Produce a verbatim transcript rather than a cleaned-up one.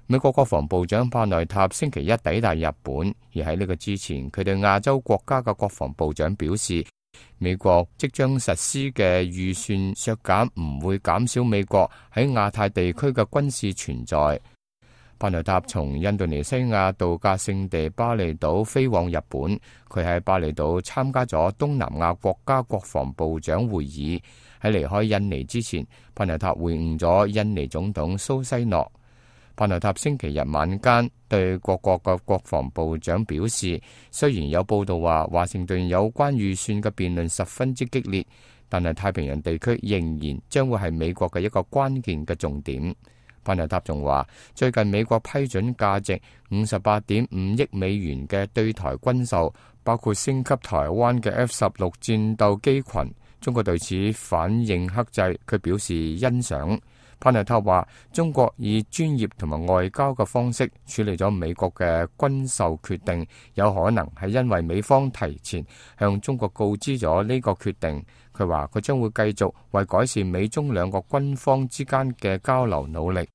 美國國防部長帕內塔星期一抵達日本，而喺呢個之前，佢對亞洲國家嘅國防部長表示，美國即將實施嘅預算削減唔會減少美國喺亞太地區嘅軍事存在。帕內塔從印度尼西亞度假勝地巴厘島飛往日本，佢喺巴厘島參加咗東南亞國家國防部長會議。喺離開印尼之前，帕內塔會晤咗印尼總統蘇西諾。帕內塔星期日晚間對各國嘅國防部長表示，雖然有報道話華盛頓有關預算嘅辯論十分之激烈，但係太平洋地區仍然將會係美國嘅一個關鍵嘅重點。帕內塔仲話，最近美國批准價值五十八點五億美元嘅對台軍售，包括升級台灣嘅 F 十六戰鬥機群，中國對此反應克制，佢表示欣賞。帕內塔話，中國以專業同埋外交嘅方式處理咗美國嘅軍售決定，有可能係因為美方提前向中國告知咗呢個決定。佢話佢將會繼續為改善美中兩個軍方之間嘅交流努力。